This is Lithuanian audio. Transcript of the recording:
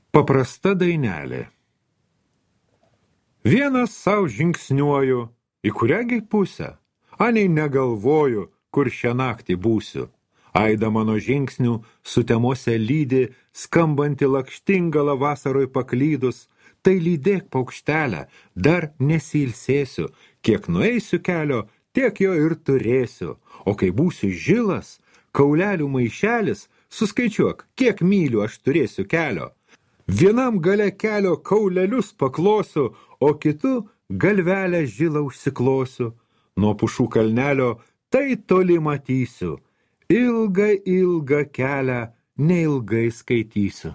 Paprasta dainelė. Vienas savo žingsniuoju, į kuriągi pusę, anei negalvoju, kur šią naktį būsiu. Aida mano žingsnių sutemose lydi, skambanti lakštingala vasaroj paklydus, tai lydėk paukštelę, dar nesilsėsiu, kiek nueisiu kelio, tiek jo ir turėsiu, o kai būsiu žilas, kaulelių maišelis, suskaičiuok, kiek mylių aš turėsiu kelio. Vienam gale kelio kaulelius paklosiu, o kitu galvelę žilą užsiklosiu. Nuo pušų kalnelio tai toli matysiu. Ilgą kelią neilgai skaitysiu.